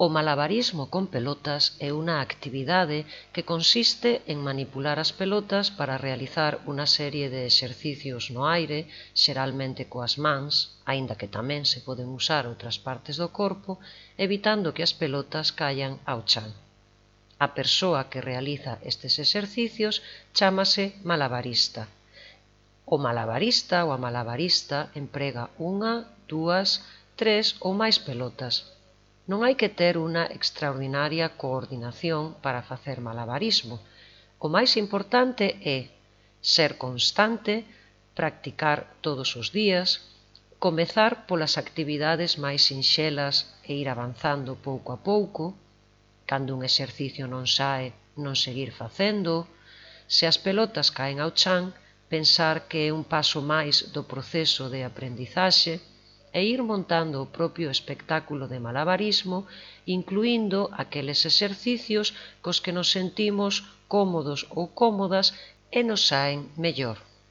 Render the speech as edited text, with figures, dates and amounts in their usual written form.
O malabarismo con pelotas é unha actividade que consiste en manipular as pelotas para realizar unha serie de exercicios no aire, xeralmente coas mans, aínda que tamén se poden usar outras partes do corpo, evitando que as pelotas caian ao chan. A persoa que realiza estes exercicios chámase malabarista. O malabarista ou a malabarista emprega unha, dúas, tres ou máis pelotas. Non hai que ter unha extraordinaria coordinación para facer malabarismo. O máis importante é ser constante, practicar todos os días, comezar polas actividades máis sinxelas e ir avanzando pouco a pouco. Cando un exercicio non sae, non seguir facendo. Se as pelotas caen ao chan, pensar que é un paso máis do proceso de aprendizaxe e ir montando o propio espectáculo de malabarismo, incluíndo aqueles exercicios cos que nos sentimos cómodos ou cómodas e nos saen mellor.